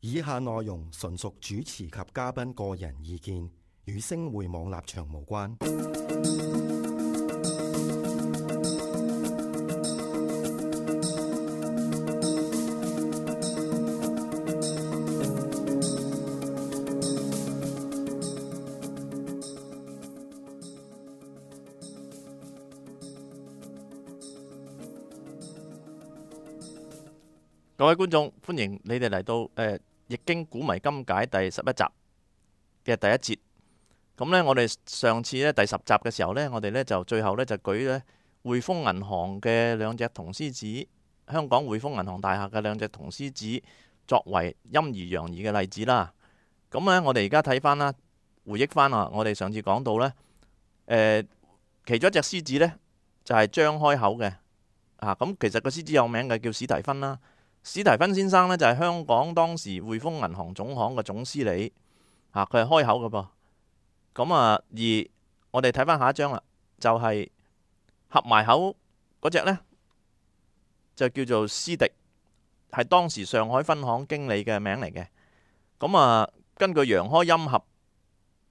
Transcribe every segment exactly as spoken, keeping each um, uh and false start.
以下內容純屬主持及嘉賓個人意見，與星匯網立場無關。各位觀眾，歡迎你哋嚟到誒《易經古謎今解》第十一集嘅第一節。咁呢，我哋上次咧第十集嘅時候呢，我哋呢就最後呢就舉咧匯豐銀行嘅兩隻銅獅子，香港匯豐銀行大廈嘅兩隻銅獅子作為陰儀陽儀嘅例子啦。咁呢，我哋而家睇翻啦，回憶翻啊，我哋上次講到呢，誒，其中一隻獅子呢就係張開口嘅啊。咁其實個獅子有名嘅，叫史提芬啦。史提芬先生呢，就係香港當時匯豐銀行總行嘅總司理，嚇佢係開口嘅噃。咁啊，而我哋睇翻下一張啦，就係、是、合埋口嗰隻呢，就叫做施迪，係當時上海分行經理嘅名嚟嘅。咁啊，根據陽開陰合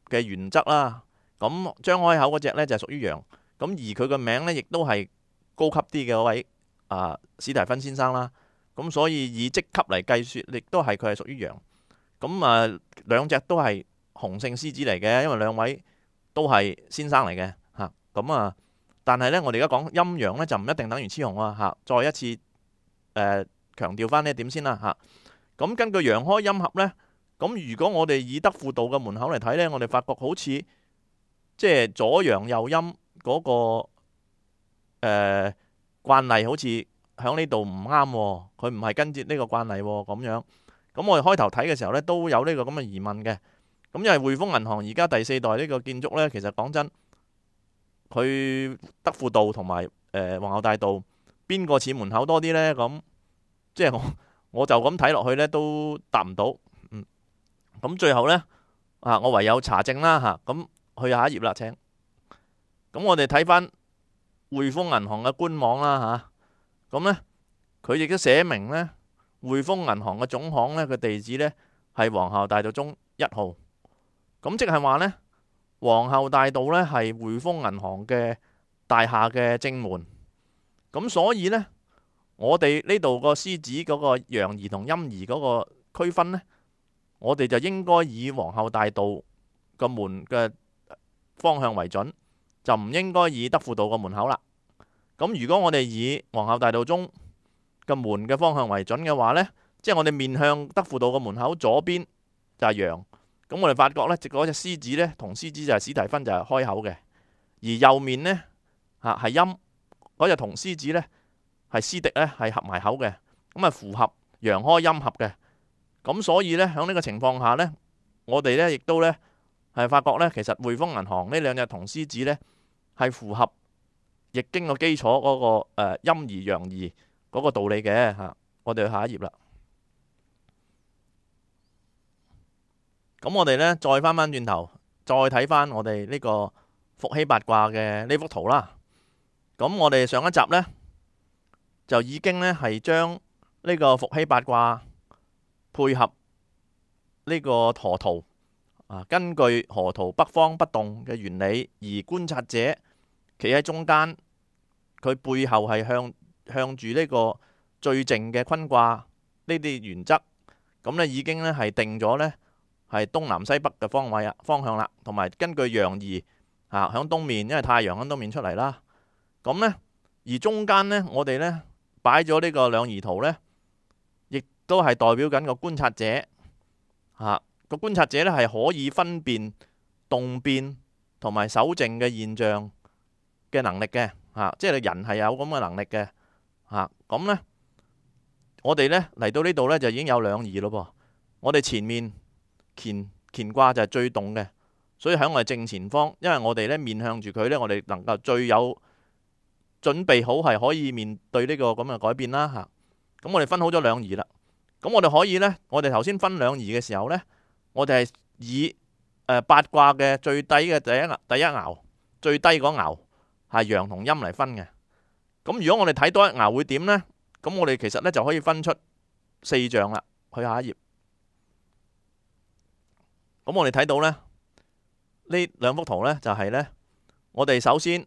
嘅原則啦，咁張開口嗰隻呢，就係屬於陽，咁而佢嘅名呢，亦都係高級啲嘅嗰位啊史提芬先生啦。咁所以以職級嚟計算，亦都係佢係屬於陽。咁啊，兩隻都係雄性獅子嚟嘅，因為兩位都係先生嚟嘅嚇。咁啊，但係呢，我哋而家講陰陽呢，就唔一定等於雌雄啊嚇。再一次誒、呃、強調翻呢一點先啦嚇。咁根據陽開陰合呢，咁如果我哋以德輔道嘅門口嚟睇呢，我哋發覺好似即係左陽右陰嗰、那個誒、呃、慣例好似喺呢度唔啱，佢唔係跟住呢個慣例咁樣。咁我哋開頭睇嘅時候呢，都有呢個咁嘅疑問嘅。咁因為匯豐銀行而家第四代呢個建築呢，其實講真，佢德輔道同埋誒皇后大道邊個似門口多啲呢？咁即係我我就咁睇落去呢，都答唔到。嗯，咁最後呢，啊，我唯有查證啦吓。咁去下一頁啦，請。咁我哋睇翻匯豐銀行嘅官網啦吓。咁呢，佢亦都寫明呢，匯豐銀行嘅總行呢，個地址呢係皇后大道中一號。咁即係話呢，皇后大道呢係匯豐銀行嘅大廈嘅正門。咁所以呢，我哋呢度個獅子嗰個陽儀同陰儀嗰個區分呢，我哋就應該以皇后大道個門嘅方向為準，就唔應該以德輔道個門口啦。咁如果我哋以皇后大道中嘅門嘅方向為準嘅話呢，即係我哋面向德輔道嘅門口左邊就係陽，咁我哋發覺呢，嗰隻獅子呢，銅獅子就係史提芬就係開口嘅，而右面呢，嚇係陰，嗰隻銅獅子呢，係施迪呢係合埋口嘅，咁啊符合陽開陰合嘅。咁所以呢，喺呢個情況下呢，我哋呢亦都呢係發覺呢，其實匯豐銀行呢兩隻銅獅子呢係符合易經個基礎嗰個誒陰儀陽儀嗰個道理嘅嚇。我哋去下一頁啦。咁我哋呢再翻翻轉頭，再睇翻我哋呢個伏羲八卦嘅呢幅圖啦。咁我哋上一集呢就已經呢係將呢個伏羲八卦配合呢個河圖啊，根據河圖北方不動嘅原理，而觀察者企喺中間，佢背後係向向住呢個最靜嘅坤卦呢啲原則，咁呢已經呢係定咗呢係東南西北嘅方位啊方向啦，同埋根據陽儀啊響東面，因為太陽響東面出嚟啦。咁呢而中間呢，我哋呢擺咗呢個兩儀圖呢，亦都係代表緊個觀察者啊，個觀察者呢係可以分辨動變同埋守靜嘅現象嘅能力嘅。啊，即係人係有咁嘅能力嘅。啊，咁呢，我哋呢嚟到呢度呢，就已經有兩儀咯噃。我哋前面乾乾卦就係最動嘅，所以喺我哋正前方，因為我哋呢面向住佢呢，我哋能夠最有準備好係可以面對呢個咁嘅改變啦嚇。咁我哋分好咗兩儀啦。咁我哋可以呢，我哋頭先分兩儀嘅時候呢，我哋係以誒八卦嘅最低嘅第一第一爻最低嗰爻係陽同陰嚟分嘅。咁如果我哋睇多一爻會點呢？咁我哋其實呢就可以分出四象啦。去下一頁。咁我哋睇到呢，呢兩幅圖呢，就係呢，我哋首先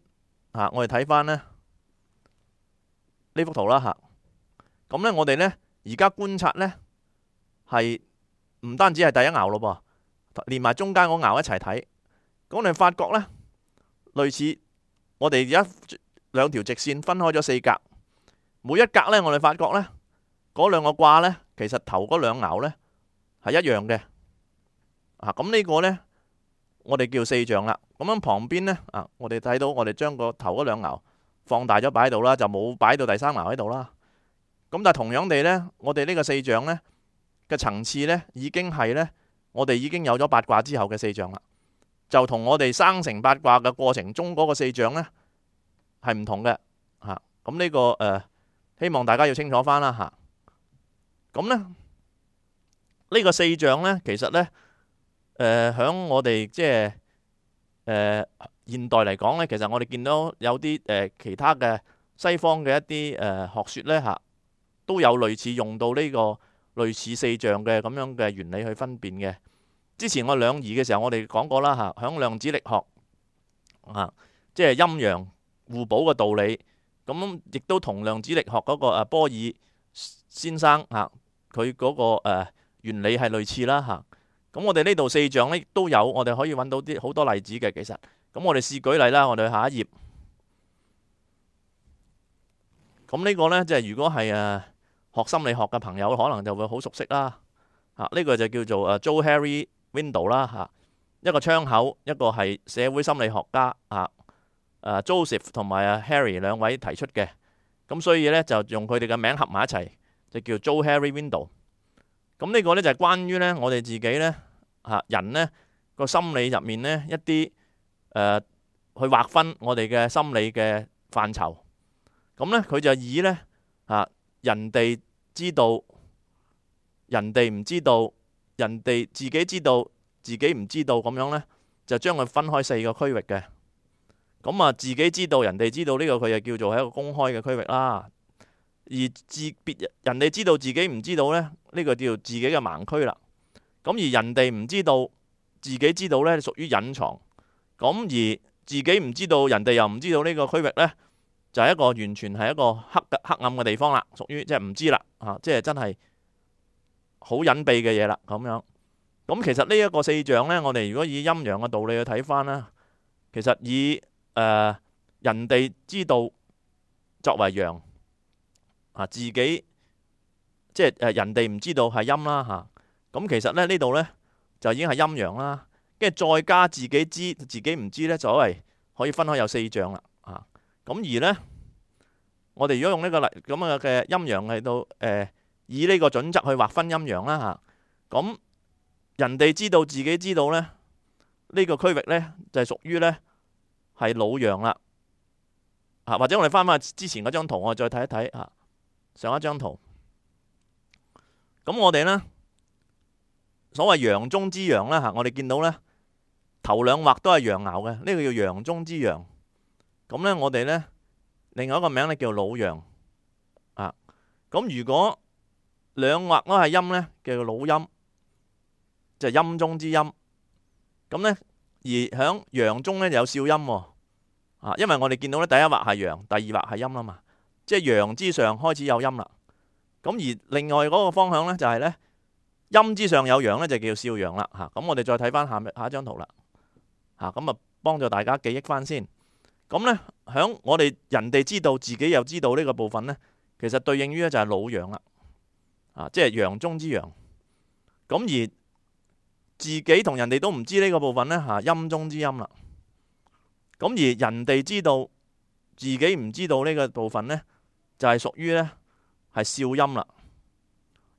啊，我哋睇翻呢呢幅圖啦嚇。咁呢，我哋呢而家觀察呢，係唔單止係第一爻咯噃，連埋中間嗰爻一齊睇。咁我哋發覺呢，類似我哋而家兩條直線分開咗四格，每一格呢，我哋發覺呢，嗰兩個卦呢，其實頭嗰兩爻呢係一樣嘅。啊，咁呢個呢，我哋叫四象啦。咁樣旁邊呢，啊，我哋睇到我哋將個頭嗰兩爻放大咗擺喺度啦，就冇擺到第三爻喺度啦。咁但係同樣地呢，我哋呢個四象呢嘅層次呢，已經係呢，我哋已經有咗八卦之後嘅四象啦，就同我哋生成八卦嘅過程中嗰個四象呢係唔同嘅嚇。咁呢個誒，希望大家要清楚翻啦嚇。咁呢呢個四象呢，其實呢。誒，響、呃、我哋即係誒現代嚟講呢，其實我哋見到有啲誒、呃、其他嘅西方嘅一啲誒、呃、學説呢，嚇，都有類似用到呢個類似四象嘅咁樣嘅原理去分辨嘅。之前我兩儀嘅時候，我哋講過啦嚇，響量子力學啊，即係陰陽互補嘅道理，咁亦都同量子力學嗰個誒波爾先生嚇佢嗰個誒原理係類似啦嚇。咁我哋呢度四象呢都有，我哋可以揾到啲好多例子嘅。其實，咁我哋試舉例啦。我哋去下一頁。咁呢個呢，即係如果係誒學心理學嘅朋友，可能就會好熟悉啦。啊，呢個就叫做誒 Johari Window 啦嚇，一個窗口，一個係社會心理學家啊誒 Joseph 同埋啊 Harry 兩位提出嘅。咁所以呢，就用佢哋嘅名合埋一齊，就叫 Johari Window。咁呢個呢，就係關於呢我哋自己呢。嚇人呢個心理入面呢，一啲誒、呃、去劃分我哋嘅心理嘅範疇，咁呢，佢就以呢，啊人哋知道，人哋唔知道，人哋自己知道，自己唔知道咁樣呢，就將佢分開四個區域嘅。咁啊自己知道，人哋知道呢個佢就叫做係一個公開嘅區域啦。而自別人哋知道自己唔知道呢，呢、呢個叫做自己嘅盲區啦。咁而人哋唔知道，自己知道呢，屬於隱藏。咁而自己唔知道，人哋又唔知道呢個區域呢，就係一個完全係一個黑黑暗嘅地方啦，屬於即係唔知啦，啊，即係真係好隱秘嘅嘢啦，咁樣。咁其實呢一個四象呢，我哋如果以陰陽嘅道理去睇翻啦，其實以誒、呃、人哋知道作為陽，啊自己即係誒人哋唔知道係陰啦嚇。咁其實咧呢度呢，就已經係陰陽啦，跟住再加自己知自己唔知呢，所謂可以分開有四象啦。啊，咁而呢，我哋如果用呢個例咁樣嘅陰陽嚟到誒、呃，以呢個準則去劃分陰陽啦嚇。咁、啊、人哋知道自己知道呢，呢、呢個區域呢，就係、是、屬於呢係老陽啦。啊，或者我哋翻翻之前嗰張圖，我哋再睇一睇啊，上一張圖。咁我哋呢。所謂陽中之陽啦嚇，我哋見到呢頭兩畫都係陽爻嘅，呢、這個叫陽中之陽。咁呢，我哋呢另外一個名呢叫老陽啊。咁如果兩畫都係陰呢，叫做老陰，就係、是、陰中之陰。咁呢，而響陽中呢有少陰喎啊，因為我哋見到呢第一畫係陽，第二畫係陰啦嘛，即係陽之上開始有陰啦。咁而另外嗰個方向呢，就係、是、呢。陰之上有陽呢，就叫少陽啦嚇。咁我哋再睇翻下下一張圖啦嚇，咁啊幫助大家記憶翻先。咁呢，響我哋人哋知道自己又知道呢個部分呢，其實對應於呢就係老陽啦啊，即係陽中之陽。咁而自己同人哋都唔知呢個部分呢，嚇，陰中之陰啦。咁而人哋知道自己唔知道呢個部分呢，就係屬於呢係少陰啦。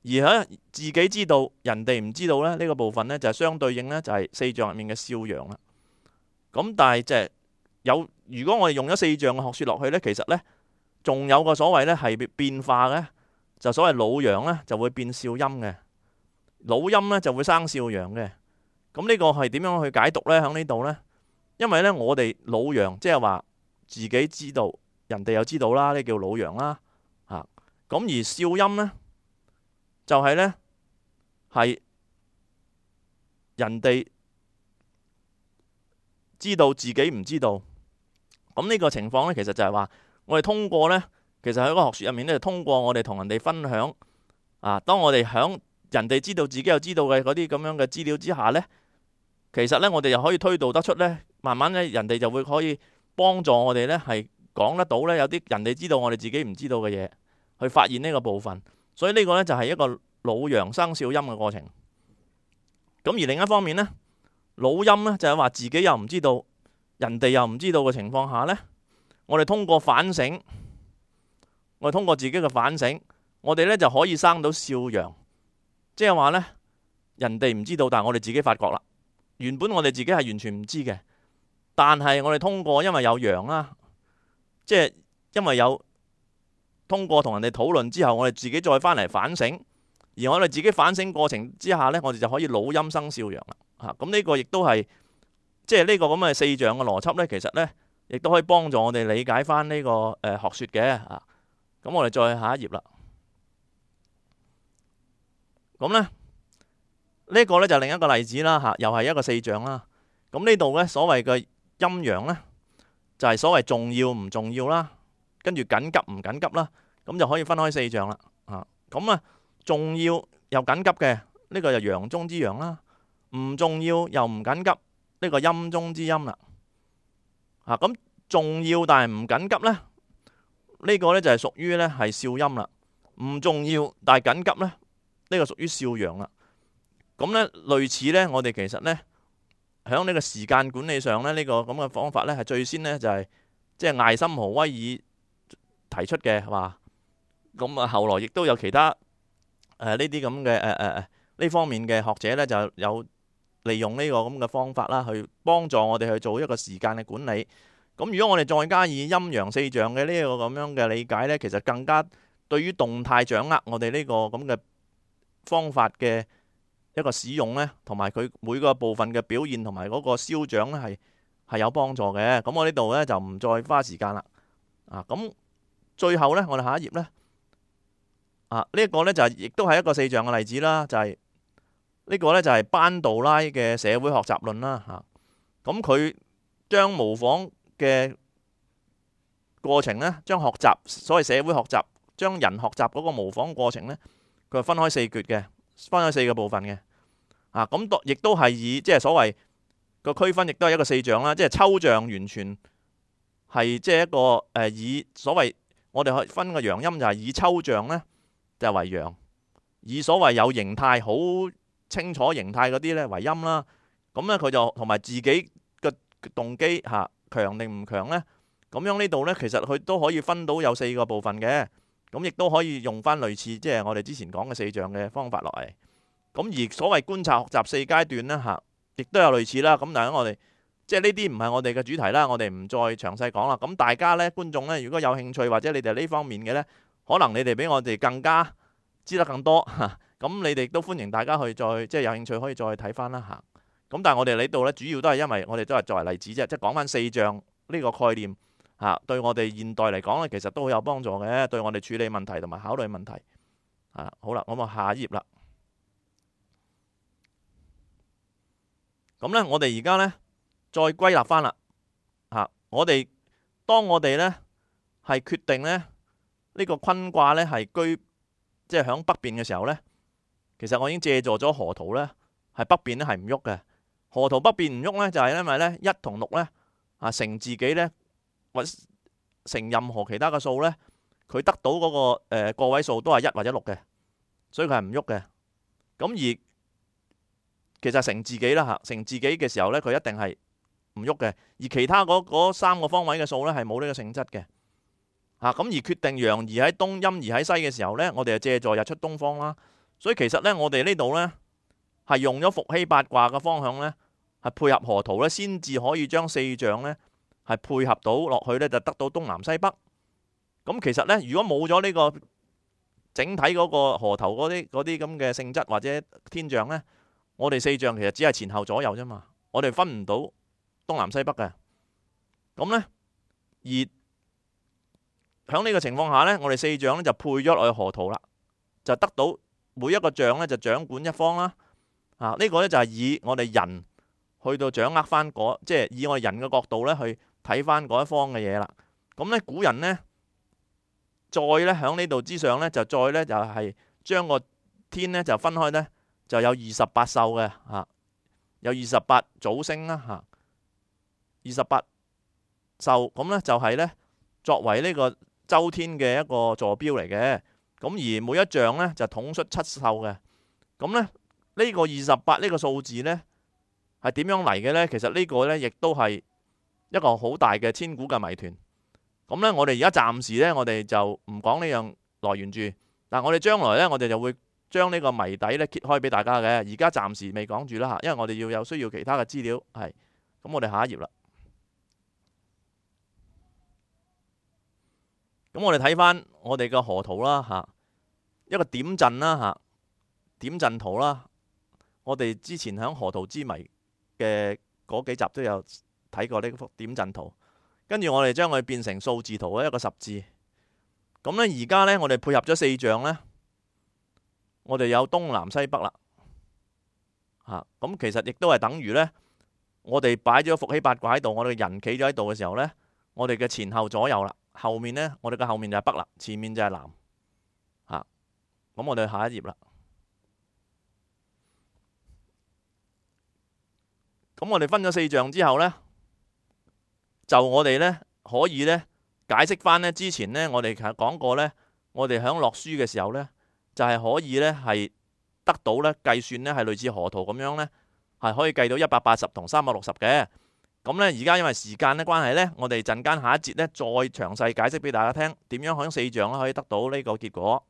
而喺自己知道人哋唔知道咧，呢個部分呢，就係相對應呢，就係四象入面嘅少陽啦。咁但係即係有，如果我哋用咗四象嘅學説落去呢，其實呢，仲有個所謂呢係變化嘅，就所謂老陽呢就會變少陰嘅，老陰呢就會生少陽嘅。咁呢個係點樣去解讀呢？喺呢度呢，因為呢，我哋老陽即係話自己知道，人哋又知道啦，呢叫老陽啦。啊，咁而少陰呢，就係呢，係人哋知道自己唔知道。咁呢個情況呢，其實就係話我哋通過呢，其實喺個學説入面呢，就通過我哋同人哋分享啊，當我哋響人哋知道自己又知道嘅嗰啲咁樣嘅資料之下呢，其實呢，我哋又可以推導得出呢，慢慢呢，人哋就會可以幫助我哋呢，係講得到呢，有啲人哋知道我哋自己唔知道嘅嘢，去發現呢個部分。所以呢個呢，就係一個老羊生少陰嘅過程。咁而另一方面呢，老陰呢，就係話自己又唔知道，人哋又唔知道嘅情況下呢，我哋通過反省，我哋通過自己嘅反省，我哋呢就可以生到少陽。即係話呢，人哋唔知道，但係我哋自己發覺啦。原本我哋自己係完全唔知嘅，但係我哋通過，因為有陽啦，即係因為有通過同人哋討論之後，我哋自己再翻嚟反省，而我哋自己反省過程之下呢，我哋就可以老陰生少陽啦。嚇，咁呢個亦都係即係呢個咁嘅四象嘅邏輯呢，其實呢亦都可以幫助我哋理解翻呢個誒學説嘅。啊，咁我哋再下一頁啦。咁咧，呢、這個呢就另一個例子啦，嚇，又係一個四象啦。咁呢度呢，所謂嘅陰陽呢，就係、是、所謂重要唔重要啦，跟住緊急唔緊急啦，咁就可以分開四象啦。嚇，咁啊，重要又緊急嘅呢、這個就陽中之陽啦，唔重要又唔緊急呢、這個陰中之陰啦。嚇，咁重要但係唔緊急呢，呢、這個呢就係屬於呢係少陰啦。唔重要但係緊急呢。呢個屬於少陽啦。咁呢類似呢，我哋其實呢，喺呢個時間管理上呢，呢個咁嘅方法呢，係最先呢，就係即係艾森豪威爾提出嘅，係嘛？咁啊，後來亦都有其他誒呢啲咁嘅誒誒誒呢方面嘅學者呢，就有利用呢個咁嘅方法啦，去幫助我哋去做一個時間嘅管理。咁如果我哋再加以陰陽四象嘅呢個咁樣嘅理解呢，其實更加對於動態掌握我哋呢個咁嘅方法嘅一個使用呢，同埋佢每個部分嘅表現同埋嗰個消長呢，係係有幫助嘅。咁我呢度呢，就唔再花時間啦。啊，咁最後呢，我哋下一頁呢，啊呢一個呢，就係亦都係一個四象嘅例子啦，就係呢個呢，就係班杜拉嘅社會學習論啦。嚇，咁佢將模仿嘅過程呢，將學習所謂社會學習，將人學習嗰個模仿過程呢，佢係分開四橛嘅，分開四個部分嘅。啊，咁亦都係以即係所謂個區分，亦都係一個四象啦。即係抽象完全係即係一個誒、呃、以所謂我哋可以分個陽陰，就係以抽象呢就係為陽，以所謂有形態好清楚形態嗰啲呢為陰啦。咁呢，佢就同埋自己嘅動機嚇強定唔強呢。咁樣呢度呢，其實佢都可以分到有四個部分嘅。咁亦都可以用翻類似即係我哋之前講嘅四象嘅方法落嚟。咁而所謂觀察學習四階段呢，嚇，亦都有類似啦。咁但係我哋即係呢啲唔係我哋嘅主題啦，我哋唔再詳細講啦。咁大家呢，觀眾呢，如果有興趣或者你哋呢方面嘅呢，可能你哋比我哋更加知得更多嚇。咁你哋都歡迎大家去再即係有興趣可以再睇翻啦嚇。咁但係我哋呢度呢，主要都係因為我哋都係作為例子啫，即係講翻四象呢個概念。嚇，對我哋現代嚟講咧，其實都好有幫助嘅，對我哋處理問題同埋考慮問題。啊，好啦，咁啊下一頁啦。咁咧，我哋而家咧再歸納翻啦。嚇，我哋當我哋咧係決定咧呢個坤卦咧係居即係響北邊嘅時候咧，其實我已經借助咗河圖咧係北邊咧係唔喐嘅。河圖北邊唔喐咧，就係因為咧一同六咧啊乘自己咧。或乘任何其他嘅數呢，佢得到嗰、那個誒、呃、個位數都係一或者六嘅，所以佢係唔喐嘅。咁而其實乘自己啦嚇，乘自己嘅時候呢，佢一定係唔喐嘅。而其他嗰三個方位嘅數呢，係冇呢個性質嘅嚇。咁而決定陽移喺東，陰移喺西嘅時候呢，我哋就借助日出東方啦。所以其實呢，我哋呢度呢，係用咗伏羲八卦嘅方向呢，係配合河圖呢，先至可以將四象呢。係配合到落去呢，就得到東南西北。咁其實呢，如果冇咗呢個整體嗰個河圖嗰啲嗰啲咁嘅性質或者天象呢，我哋四象其實只係前後左右啫嘛。我哋分唔到東南西北嘅。咁呢，而喺呢個情況下呢，我哋四象呢就配咗落去河圖啦，就得到每一個象呢就掌管一方啦。啊，呢個呢就係以我哋人去到掌握翻嗰，即係以我哋人嘅角度呢去睇翻嗰一方嘅嘢啦。咁呢古人呢，再呢喺呢度之上呢，就再呢就係將個天呢就分開呢，就有二十八宿嘅嚇，有二十八組星啦嚇，二十八宿咁呢就係呢作為呢個周天嘅一個坐標嚟嘅。咁而每一象呢，就統出七宿嘅。咁呢，呢個二十八呢個數字呢，係點樣嚟嘅呢？其實呢個呢，亦都係一個好大嘅千古嘅謎團。咁呢，我哋而家暫時呢，我哋就唔講呢樣來源住。但我哋將來呢，我哋就會將呢個謎底呢揭開俾大家嘅。而家暫時未講住啦嚇，因為我哋要有需要其他嘅資料。係，咁我哋下一頁啦。咁我哋睇翻我哋嘅河圖啦嚇，一個點陣啦嚇，點陣圖啦。我哋之前喺河圖之謎嘅嗰幾集都有睇過呢幅點陣圖，跟住我哋將佢變成數字圖嘅一個十字。咁呢，而家呢，我哋配合咗四象呢，我哋有東南西北啦嚇。咁其實亦都係等於呢，我哋擺咗伏羲八卦喺度，我哋人企咗喺度嘅時候呢，我哋嘅前後左右啦。後面呢，我哋嘅後面就係北啦，前面就係南嚇。咁我哋下一頁啦。咁我哋分咗四象之後呢，就我哋呢可以呢解釋翻呢之前呢，我哋其實講過呢，我哋響落書嘅時候呢，就係可以呢係得到呢計算呢係類似河圖咁樣呢，係可以計到一百八十同三百六十嘅。咁呢，而家因為時間嘅關係呢，我哋陣間下一節呢再詳細解釋俾大家聽點樣響四象可以得到呢個結果。